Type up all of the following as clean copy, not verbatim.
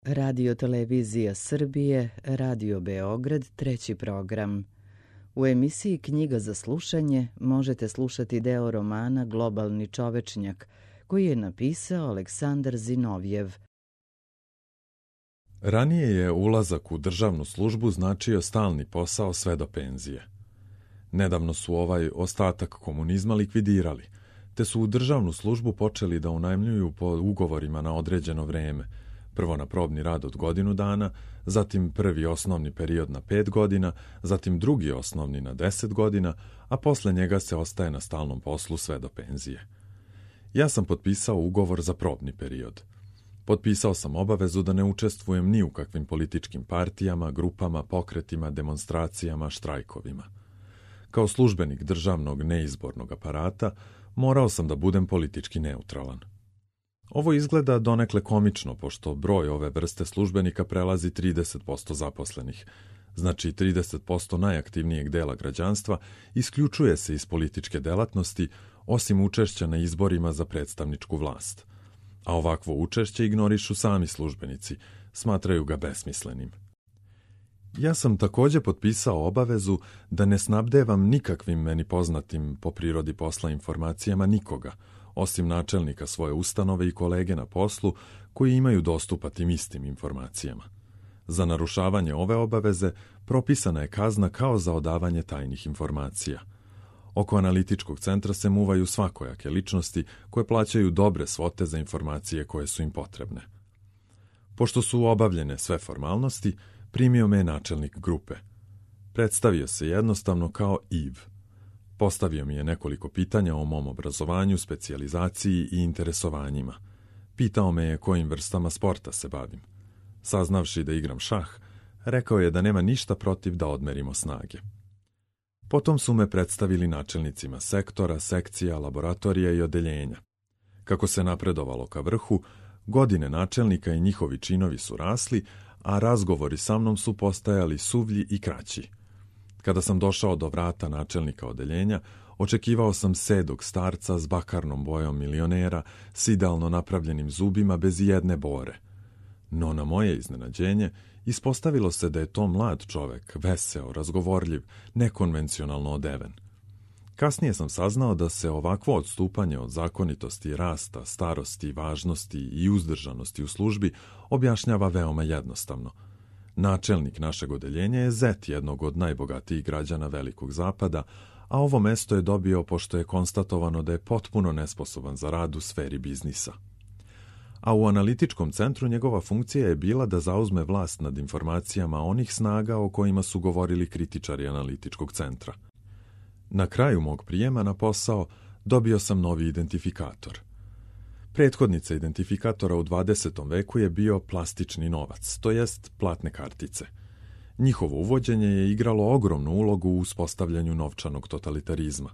Radio Televizija Srbije, Radio Beograd, treći program. U emisiji Knjiga za slušanje možete slušati deo romana Globalni čovečnjak, koji je napisao Aleksandar Zinovjev. Ranije je ulazak u državnu službu značio stalni posao sve do penzije. Nedavno su ovaj ostatak komunizma likvidirali, te su u državnu službu počeli da unajmljuju po ugovorima na određeno vreme, prvo na probni rad od godinu dana, zatim prvi osnovni period na 5 godina, zatim drugi osnovni na 10 godina, a posle njega se ostaje na stalnom poslu sve do penzije. Ja sam potpisao ugovor za probni period. Potpisao sam obavezu da ne učestvujem ni u kakvim političkim partijama, grupama, pokretima, demonstracijama, štrajkovima. Kao službenik državnog neizbornog aparata morao sam da budem politički neutralan. Ovo izgleda donekle komično, pošto broj ove vrste službenika prelazi 30% zaposlenih. Znači 30% najaktivnijeg dela građanstva isključuje se iz političke delatnosti, osim učešća na izborima za predstavničku vlast. A ovakvo učešće ignorišu sami službenici, smatraju ga besmislenim. Ja sam također potpisao obavezu da ne snabdevam nikakvim meni poznatim po prirodi posla informacijama nikoga, osim načelnika svoje ustanove i kolege na poslu koji imaju dostupa tim istim informacijama. Za narušavanje ove obaveze propisana je kazna kao za odavanje tajnih informacija. Oko analitičkog centra se muvaju svakojake ličnosti koje plaćaju dobre svote za informacije koje su im potrebne. Pošto su obavljene sve formalnosti, primio me je načelnik grupe. Predstavio se jednostavno kao Iv. Postavio mi je nekoliko pitanja o mom obrazovanju, specijalizaciji i interesovanjima. Pitao me je kojim vrstama sporta se bavim. Saznavši da igram šah, rekao je da nema ništa protiv da odmerimo snage. Potom su me predstavili načelnicima sektora, sekcija, laboratorija i odeljenja. Kako se napredovalo ka vrhu, godine načelnika i njihovi činovi su rasli, a razgovori sa mnom su postajali suvlji i kraći. Kada sam došao do vrata načelnika odeljenja, očekivao sam sedog starca s bakarnom bojom milionera, s idealno napravljenim zubima bez jedne bore. No na moje iznenađenje, ispostavilo se da je to mlad čovek, veseo, razgovorljiv, nekonvencionalno odeven. Kasnije sam saznao da se ovakvo odstupanje od zakonitosti, rasta, starosti, važnosti i uzdržanosti u službi objašnjava veoma jednostavno. Načelnik našeg odeljenja je zet jednog od najbogatijih građana Velikog Zapada, a ovo mesto je dobio pošto je konstatovano da je potpuno nesposoban za rad u sferi biznisa. A u analitičkom centru njegova funkcija je bila da zauzme vlast nad informacijama onih snaga o kojima su govorili kritičari analitičkog centra. Na kraju mog prijema na posao dobio sam novi identifikator. Prethodnica identifikatora u 20. veku je bio plastični novac, to jest platne kartice. Njihovo uvođenje je igralo ogromnu ulogu u uspostavljanju novčanog totalitarizma.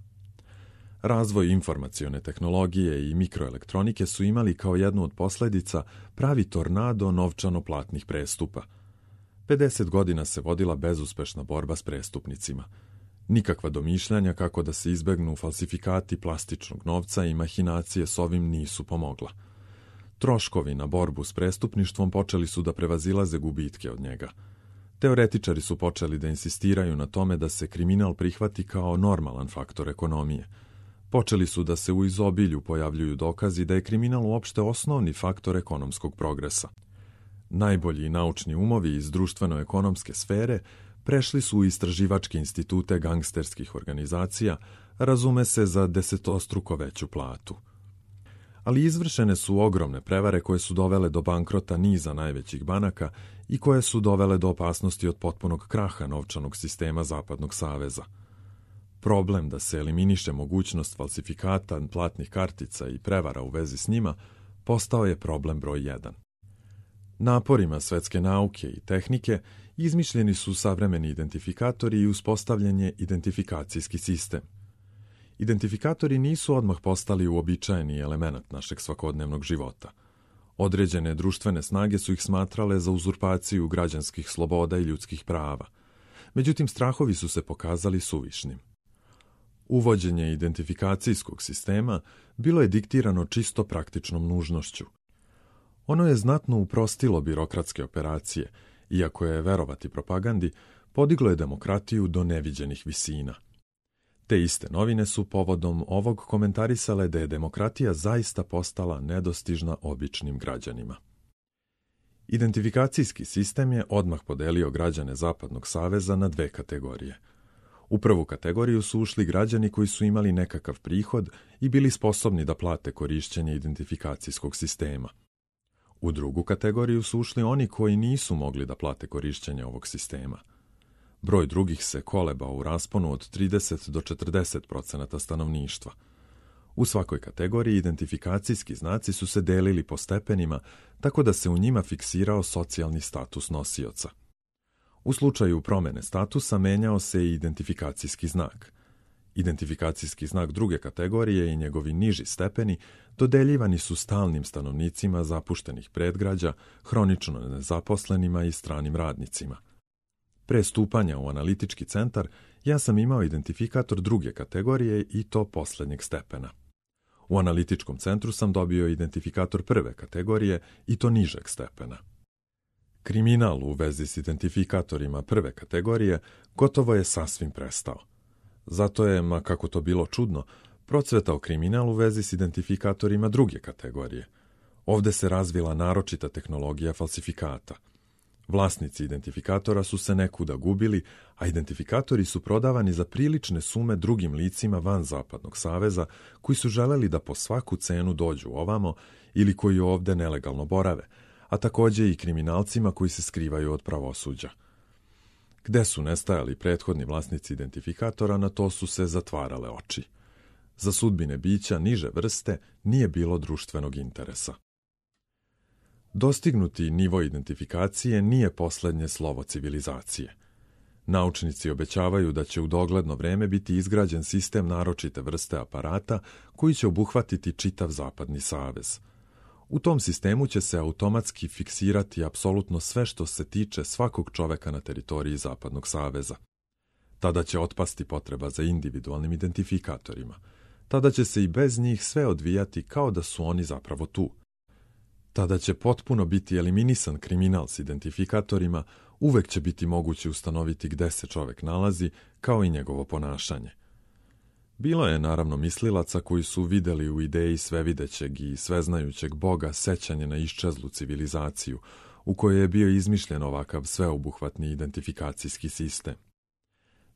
Razvoj informacione tehnologije i mikroelektronike su imali kao jednu od posledica pravi tornado novčano-platnih prestupa. 50 godina se vodila bezuspešna borba s prestupnicima. Nikakva domišljanja kako da se izbegnu falsifikati plastičnog novca i mahinacije s ovim nisu pomogla. Troškovi na borbu s prestupništvom počeli su da prevazilaze gubitke od njega. Teoretičari su počeli da insistiraju na tome da se kriminal prihvati kao normalan faktor ekonomije. Počeli su da se u izobilju pojavljuju dokazi da je kriminal uopšte osnovni faktor ekonomskog progresa. Najbolji naučni umovi iz društveno-ekonomske sfere prešli su u istraživačke institute gangsterskih organizacija, razume se za desetostruko veću platu. Ali izvršene su ogromne prevare koje su dovele do bankrota niza najvećih banaka i koje su dovele do opasnosti od potpunog kraha novčanog sistema Zapadnog saveza. Problem da se eliminiše mogućnost falsifikata platnih kartica i prevara u vezi s njima postao je problem broj 1. Naporima svetske nauke i tehnike izmišljeni su savremeni identifikatori i uspostavljen je identifikacijski sistem. Identifikatori nisu odmah postali uobičajeni element našeg svakodnevnog života. Određene društvene snage su ih smatrale za uzurpaciju građanskih sloboda i ljudskih prava. Međutim, strahovi su se pokazali suvišnim. Uvođenje identifikacijskog sistema bilo je diktirano čisto praktičnom nužnošću. Ono je znatno uprostilo birokratske operacije, iako je, verovati propagandi, podiglo je demokratiju do neviđenih visina. Te iste novine su povodom ovog komentarisale da je demokratija zaista postala nedostižna običnim građanima. Identifikacijski sistem je odmah podelio građane Zapadnog saveza na dve kategorije. U prvu kategoriju su ušli građani koji su imali nekakav prihod i bili sposobni da plate korišćenje identifikacijskog sistema. U drugu kategoriju su ušli oni koji nisu mogli da plate korišćenje ovog sistema. Broj drugih se kolebao u rasponu od 30 do 40% stanovništva. U svakoj kategoriji identifikacijski znaci su se delili po stepenima, tako da se u njima fiksirao socijalni status nosioca. U slučaju promene statusa menjao se i identifikacijski znak. Identifikacijski znak druge kategorije i njegovi niži stepeni dodeljivani su stalnim stanovnicima zapuštenih predgrađa, hronično nezaposlenima i stranim radnicima. Pre stupanja u analitički centar, ja sam imao identifikator druge kategorije i to poslednjeg stepena. U analitičkom centru sam dobio identifikator prve kategorije i to nižeg stepena. Kriminal u vezi s identifikatorima prve kategorije gotovo je sasvim prestao. Zato je, ma kako to bilo čudno, procvetao kriminal u vezi s identifikatorima druge kategorije. Ovde se razvila naročita tehnologija falsifikata. Vlasnici identifikatora su se nekuda gubili, a identifikatori su prodavani za prilične sume drugim licima van Zapadnog saveza koji su želeli da po svaku cenu dođu ovamo ili koji ovde nelegalno borave, a takođe i kriminalcima koji se skrivaju od pravosuđa. Gde su nestajali prethodni vlasnici identifikatora, na to su se zatvarale oči. Za sudbine bića niže vrste nije bilo društvenog interesa. Dostignuti nivo identifikacije nije poslednje slovo civilizacije. Naučnici obećavaju da će u dogledno vreme biti izgrađen sistem naročite vrste aparata koji će obuhvatiti čitav Zapadni savez. U tom sistemu će se automatski fiksirati apsolutno sve što se tiče svakog čoveka na teritoriji Zapadnog saveza. Tada će otpasti potreba za individualnim identifikatorima. Tada će se i bez njih sve odvijati kao da su oni zapravo tu. Tada će potpuno biti eliminisan kriminal s identifikatorima, uvek će biti moguće ustanoviti gde se čovek nalazi, kao i njegovo ponašanje. Bilo je naravno mislilaca koji su videli u ideji svevidećeg i sveznajućeg Boga sećanje na iščezlu civilizaciju, u kojoj je bio izmišljen ovakav sveobuhvatni identifikacijski sistem.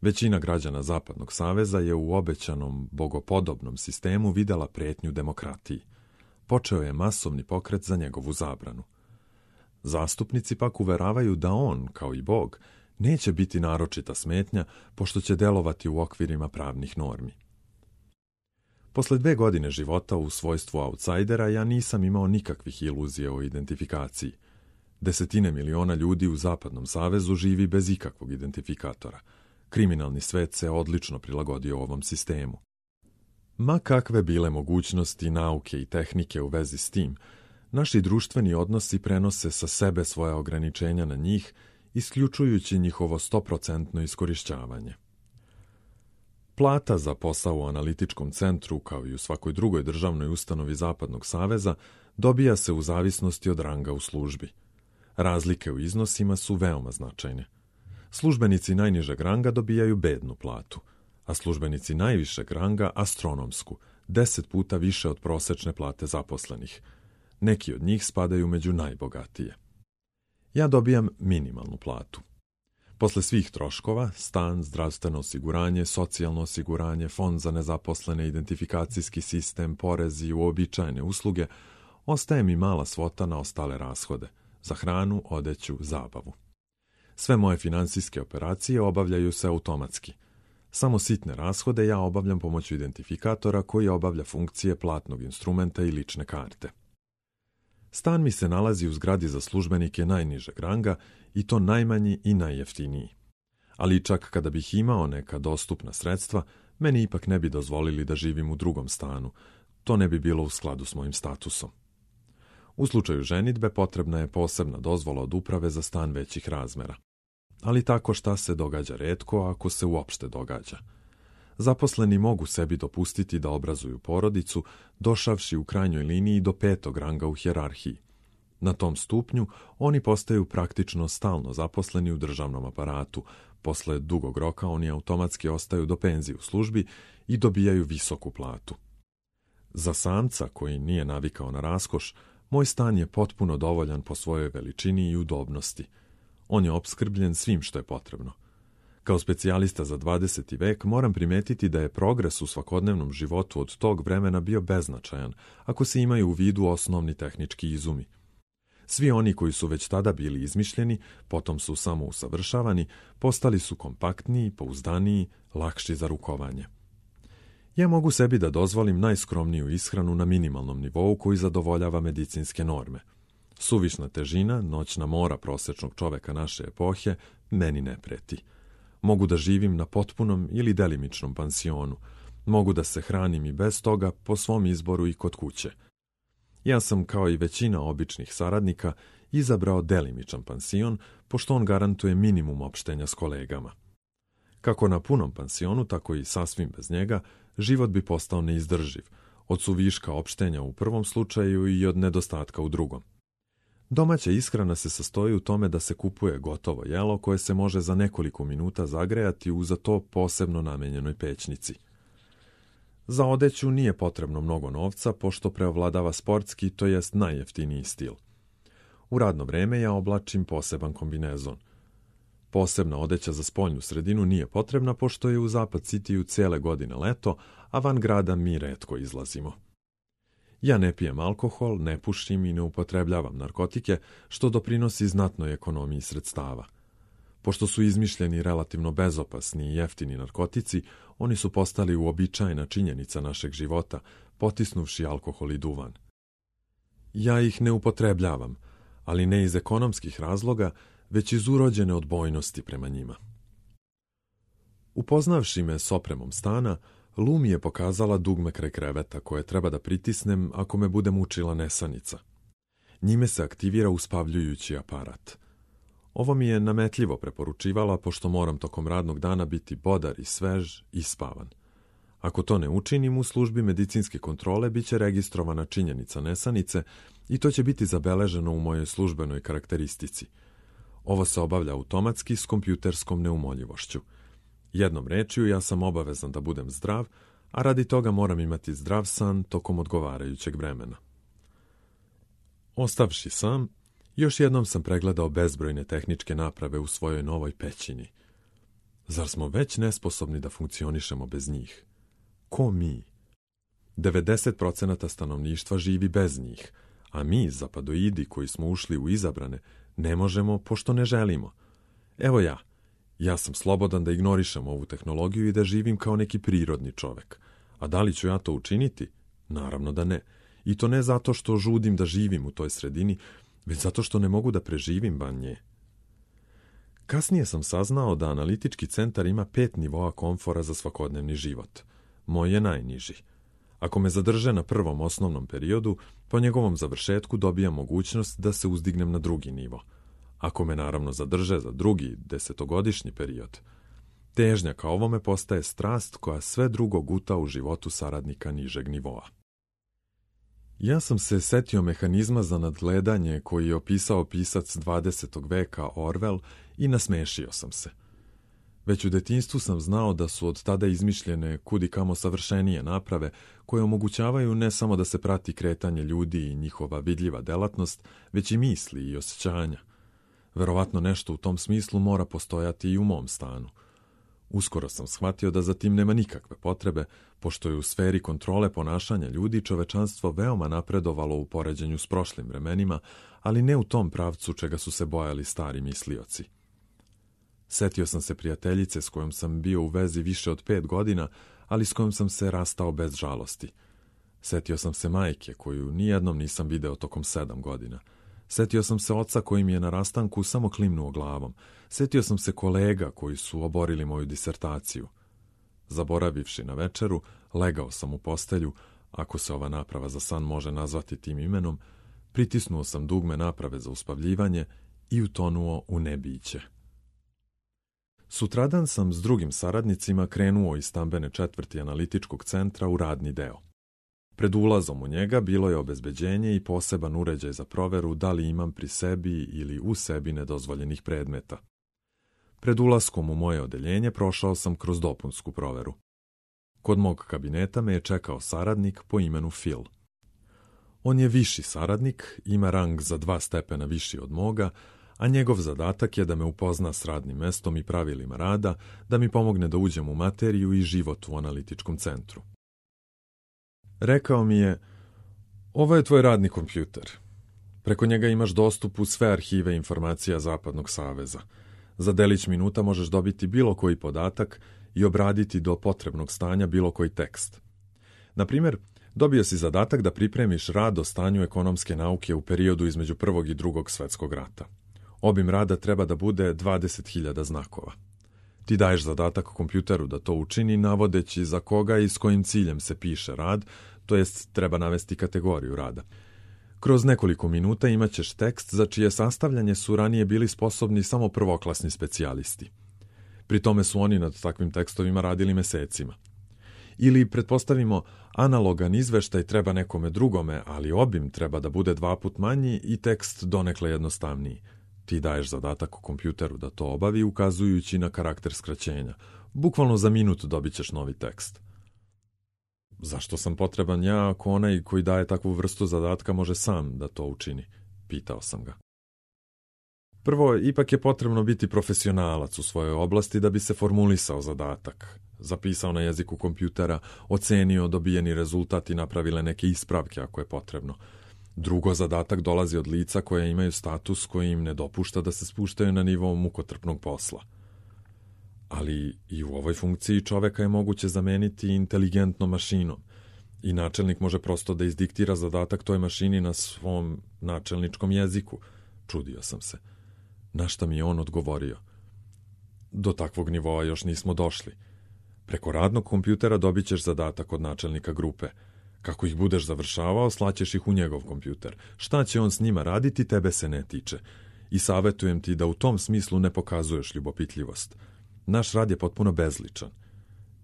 Većina građana Zapadnog saveza je u obećanom bogopodobnom sistemu videla pretnju demokratiji. Počeo je masovni pokret za njegovu zabranu. Zastupnici pak uveravaju da on, kao i Bog, neće biti naročita smetnja, pošto će delovati u okvirima pravnih normi. Posle 2 godine života u svojstvu autsajdera ja nisam imao nikakvih iluzija o identifikaciji. Desetine miliona ljudi u Zapadnom savezu živi bez ikakvog identifikatora. Kriminalni svet se odlično prilagodio ovom sistemu. Ma kakve bile mogućnosti nauke i tehnike u vezi s tim, naši društveni odnosi prenose sa sebe svoja ograničenja na njih, isključujući njihovo 100% iskorišćavanje. Plata za posao u analitičkom centru, kao i u svakoj drugoj državnoj ustanovi Zapadnog saveza, dobija se u zavisnosti od ranga u službi. Razlike u iznosima su veoma značajne. Službenici najnižeg ranga dobijaju bednu platu, a službenici najvišeg ranga astronomsku, 10 puta više od prosečne plate zaposlenih. Neki od njih spadaju među najbogatije. Ja dobijam minimalnu platu. Posle svih troškova, stan, zdravstveno osiguranje, socijalno osiguranje, fond za nezaposlene, identifikacijski sistem, porezi i uobičajene usluge, ostaje mi mala svota na ostale rashode, za hranu, odeću, zabavu. Sve moje finansijske operacije obavljaju se automatski. Samo sitne rashode ja obavljam pomoću identifikatora koji obavlja funkcije platnog instrumenta i lične karte. Stan mi se nalazi u zgradi za službenike najnižeg ranga i to najmanji i najjeftiniji. Ali čak kada bih imao neka dostupna sredstva, meni ipak ne bi dozvolili da živim u drugom stanu. To ne bi bilo u skladu s mojim statusom. U slučaju ženidbe potrebna je posebna dozvola od uprave za stan većih razmera. Ali tako šta se događa retko, ako se uopšte događa. Zaposleni mogu sebi dopustiti da obrazuju porodicu, došavši u krajnjoj liniji do 5. ranga u hijerarhiji. Na tom stupnju oni postaju praktično stalno zaposleni u državnom aparatu. Posle dugog roka oni automatski ostaju do penzije u službi i dobijaju visoku platu. Za samca koji nije navikao na raskoš, moj stan je potpuno dovoljan po svojoj veličini i udobnosti. On je opskrbljen svim što je potrebno. Kao specijalista za 20. vek moram primetiti da je progres u svakodnevnom životu od tog vremena bio beznačajan, ako se imaju u vidu osnovni tehnički izumi. Svi oni koji su već tada bili izmišljeni, potom su samo usavršavani, postali su kompaktniji, pouzdaniji, lakši za rukovanje. Ja mogu sebi da dozvolim najskromniju ishranu na minimalnom nivou koji zadovoljava medicinske norme. Suvišna težina, noćna mora prosečnog čoveka naše epohe, meni ne preti. Mogu da živim na potpunom ili delimičnom pansionu. Mogu da se hranim i bez toga po svom izboru i kod kuće. Ja sam, kao i većina običnih saradnika, izabrao delimičan pansion, pošto on garantuje minimum opštenja s kolegama. Kako na punom pansionu, tako i sasvim bez njega, život bi postao neizdrživ, od suviška opštenja u prvom slučaju i od nedostatka u drugom. Domaća ishrana se sastoji u tome da se kupuje gotovo jelo koje se može za nekoliko minuta zagrejati u za to posebno namenjenoj pećnici. Za odeću nije potrebno mnogo novca, pošto preovladava sportski, to jest najjeftiniji stil. U radno vreme ja oblačim poseban kombinezon. Posebna odeća za spoljnu sredinu nije potrebna, pošto je u Zapad Citiju cijele godine leto, a van grada mi retko izlazimo. Ja ne pijem alkohol, ne pušim i ne upotrebljavam narkotike, što doprinosi znatnoj ekonomiji sredstava. Pošto su izmišljeni relativno bezopasni i jeftini narkotici, oni su postali uobičajena činjenica našeg života, potisnuvši alkohol i duvan. Ja ih ne upotrebljavam, ali ne iz ekonomskih razloga, već iz urođene odbojnosti prema njima. Upoznavši me s opremom stana, Lu mi je pokazala dugme kraj kreveta koje treba da pritisnem ako me bude mučila nesanica. Njime se aktivira uspavljujući aparat. Ovo mi je nametljivo preporučivala, pošto moram tokom radnog dana biti bodar i svež i spavan. Ako to ne učinim, u službi medicinske kontrole bit će registrovana činjenica nesanice i to će biti zabeleženo u mojoj službenoj karakteristici. Ovo se obavlja automatski s kompjuterskom neumoljivošću. Jednom rečju, ja sam obavezan da budem zdrav, a radi toga moram imati zdrav san tokom odgovarajućeg vremena. Ostavši sam, još jednom sam pregledao bezbrojne tehničke naprave u svojoj novoj pećini. Zar smo već nesposobni da funkcionišemo bez njih? Ko mi? 90% stanovništva živi bez njih, a mi, zapadoidi koji smo ušli u izabrane, ne možemo pošto ne želimo. Evo ja sam slobodan da ignorišem ovu tehnologiju i da živim kao neki prirodni čovek. A da li ću ja to učiniti? Naravno da ne. I to ne zato što žudim da živim u toj sredini, već zato što ne mogu da preživim van nje. Kasnije sam saznao da analitički centar ima 5 nivoa komfora za svakodnevni život. Moj je najniži. Ako me zadrže na prvom osnovnom periodu, po njegovom završetku dobijam mogućnost da se uzdignem na drugi nivo. Ako me naravno zadrže za drugi, 10-godišnji period, težnja ka ovome postaje strast koja sve drugo guta u životu saradnika nižeg nivoa. Ja sam se setio mehanizma za nadgledanje koji je opisao pisac 20. veka Orwell i nasmešio sam se. Već u detinjstvu sam znao da su od tada izmišljene kudikamo savršenije naprave koje omogućavaju ne samo da se prati kretanje ljudi i njihova vidljiva delatnost, već i misli i osjećanja. Verovatno nešto u tom smislu mora postojati i u mom stanu. Uskoro sam shvatio da za tim nema nikakve potrebe, pošto je u sferi kontrole ponašanja ljudi čovečanstvo veoma napredovalo u poređenju s prošlim vremenima, ali ne u tom pravcu čega su se bojali stari mislioci. Setio sam se prijateljice s kojom sam bio u vezi više od 5 godina, ali s kojom sam se rastao bez žalosti. Setio sam se majke koju nijednom nisam video tokom 7 godina. Setio sam se oca koji mi je na rastanku samo klimnuo glavom. Setio sam se kolega koji su oborili moju disertaciju. Zaboravivši na večeru, legao sam u postelju, ako se ova naprava za san može nazvati tim imenom, pritisnuo sam dugme naprave za uspavljivanje i utonuo u nebiće. Sutradan sam s drugim saradnicima krenuo iz stambene četvrti analitičkog centra u radni deo. Pred ulazom u njega bilo je obezbeđenje i poseban uređaj za proveru da li imam pri sebi ili u sebi nedozvoljenih predmeta. Pred ulaskom u moje odeljenje prošao sam kroz dopunsku proveru. Kod mog kabineta me je čekao saradnik po imenu Phil. On je viši saradnik, ima rang za 2 stepena viši od moga, a njegov zadatak je da me upozna s radnim mestom i pravilima rada, da mi pomogne da uđem u materiju i život u analitičkom centru. Rekao mi je, ovo je tvoj radni kompjuter. Preko njega imaš dostup u sve arhive informacija Zapadnog saveza. Za delić minuta možeš dobiti bilo koji podatak i obraditi do potrebnog stanja bilo koji tekst. Na primjer, dobio si zadatak da pripremiš rad o stanju ekonomske nauke u periodu između Prvog i Drugog svjetskog rata. Obim rada treba da bude 20.000 znakova. Ti daješ zadatak kompjuteru da to učini navodeći za koga i s kojim ciljem se piše rad, to jest treba navesti kategoriju rada. Kroz nekoliko minuta imaćeš tekst za čije sastavljanje su ranije bili sposobni samo prvoklasni specijalisti. Pri tome su oni nad takvim tekstovima radili mesecima. Ili, pretpostavimo, analogan izveštaj treba nekome drugome, ali obim treba da bude 2 puta manji i tekst donekle jednostavniji. Ti daješ zadatak kompjuteru da to obavi ukazujući na karakter skraćenja. Bukvalno za minut dobit ćeš novi tekst. Zašto sam potreban ja ako onaj koji daje takvu vrstu zadatka može sam da to učini? Pitao sam ga. Prvo, ipak je potrebno biti profesionalac u svojoj oblasti da bi se formulisao zadatak, zapisao na jeziku kompjutera, ocenio dobijeni rezultat i napravile neke ispravke ako je potrebno. Drugo, zadatak dolazi od lica koja imaju status koji im ne dopušta da se spuštaju na nivo mukotrpnog posla. Ali i u ovoj funkciji čoveka je moguće zameniti inteligentnom mašinom i načelnik može prosto da izdiktira zadatak toj mašini na svom načelničkom jeziku. Čudio sam se. Na šta mi je on odgovorio? Do takvog nivoa još nismo došli. Preko radnog kompjutera dobit ćeš zadatak od načelnika grupe. Kako ih budeš završavao, slaćeš ih u njegov kompjuter. Šta će on s njima raditi, tebe se ne tiče. I savjetujem ti da u tom smislu ne pokazuješ ljubopitljivost. Naš rad je potpuno bezličan.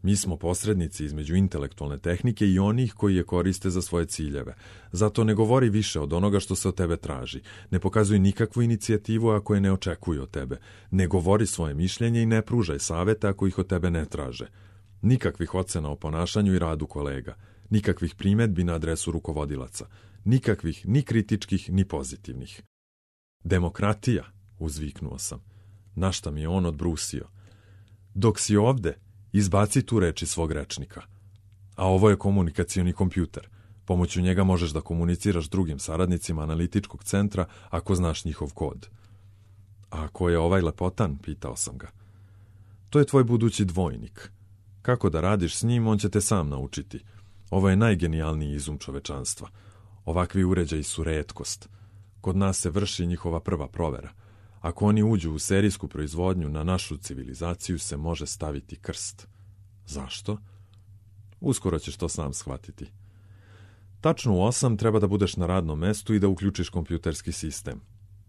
Mi smo posrednici između intelektualne tehnike i onih koji je koriste za svoje ciljeve. Zato ne govori više od onoga što se od tebe traži. Ne pokazuj nikakvu inicijativu ako je ne očekuju od tebe. Ne govori svoje mišljenje i ne pružaj savjete ako ih od tebe ne traže. Nikakvih ocena o ponašanju i radu kolega. Nikakvih primjedbi na adresu rukovodilaca. Nikakvih, ni kritičkih, ni pozitivnih. Demokratija, uzviknuo sam. Na šta mi je on odbrusio. Dok si ovde, izbaci tu reč iz svog rečnika. A ovo je komunikacioni kompjuter. Pomoću njega možeš da komuniciraš drugim saradnicima analitičkog centra ako znaš njihov kod. A ko je ovaj lepotan, pitao sam ga. To je tvoj budući dvojnik. Kako da radiš s njim, on će te sam naučiti. Ovo je najgenijalniji izum čovečanstva. Ovakvi uređaji su retkost. Kod nas se vrši njihova prva provera. Ako oni uđu u serijsku proizvodnju, na našu civilizaciju se može staviti krst. Zašto? Uskoro ćeš to sam shvatiti. Tačno u 8 treba da budeš na radnom mestu i da uključiš kompjuterski sistem.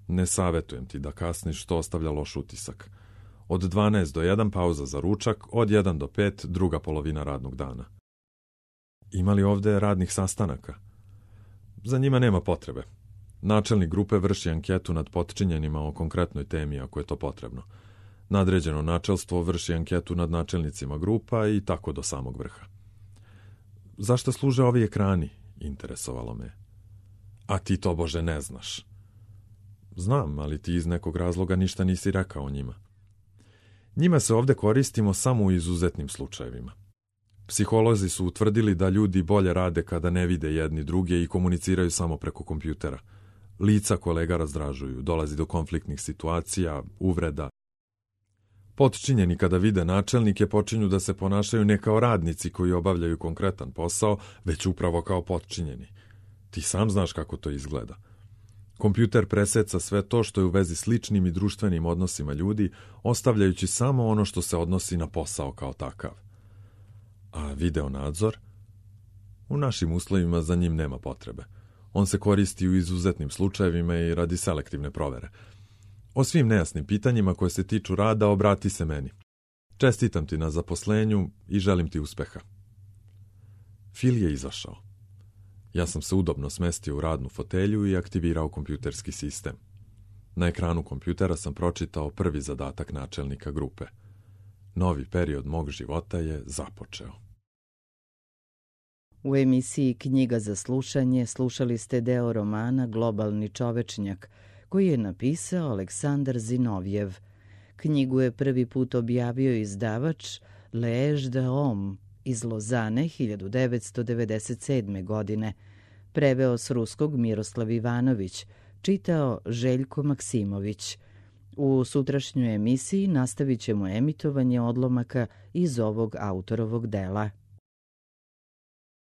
Ne savjetujem ti da kasniš, što ostavlja loš utisak. Od 12 do 1 pauza za ručak, od 1 do 5 druga polovina radnog dana. Ima li ovde radnih sastanaka? Za njima nema potrebe. Načelnik grupe vrši anketu nad potčinjenima o konkretnoj temi ako je to potrebno. Nadređeno načelstvo vrši anketu nad načelnicima grupa i tako do samog vrha. Zašto služe ovi ekrani? Interesovalo me. A ti to, Bože, ne znaš. Znam, ali ti iz nekog razloga ništa nisi rekao o njima. Njima se ovde koristimo samo u izuzetnim slučajevima. Psiholozi su utvrdili da ljudi bolje rade kada ne vide jedni druge i komuniciraju samo preko kompjutera. Lica kolega razdražuju, dolazi do konfliktnih situacija, uvreda. Potčinjeni kada vide načelnike počinju da se ponašaju ne kao radnici koji obavljaju konkretan posao, već upravo kao potčinjeni. Ti sam znaš kako to izgleda. Kompjuter preseca sve to što je u vezi s ličnim i društvenim odnosima ljudi, ostavljajući samo ono što se odnosi na posao kao takav. A video nadzor? U našim uslovima za njim nema potrebe. On se koristi u izuzetnim slučajevima i radi selektivne provere. O svim nejasnim pitanjima koje se tiču rada obrati se meni. Čestitam ti na zaposlenju i želim ti uspeha. Phil je izašao. Ja sam se udobno smestio u radnu fotelju i aktivirao kompjuterski sistem. Na ekranu kompjutera sam pročitao prvi zadatak načelnika grupe. Novi period mog života je započeo. U emisiji Knjiga za slušanje slušali ste deo romana Globalni čovečnjak, koji je napisao Aleksandar Zinovjev. Knjigu je prvi put objavio izdavač L'Age de Homme iz Lozane 1997. godine. Preveo s ruskog Miroslav Ivanović, čitao Željko Maksimović. U sutrašnjoj emisiji nastavit ćemo emitovanje odlomaka iz ovog autorovog dela.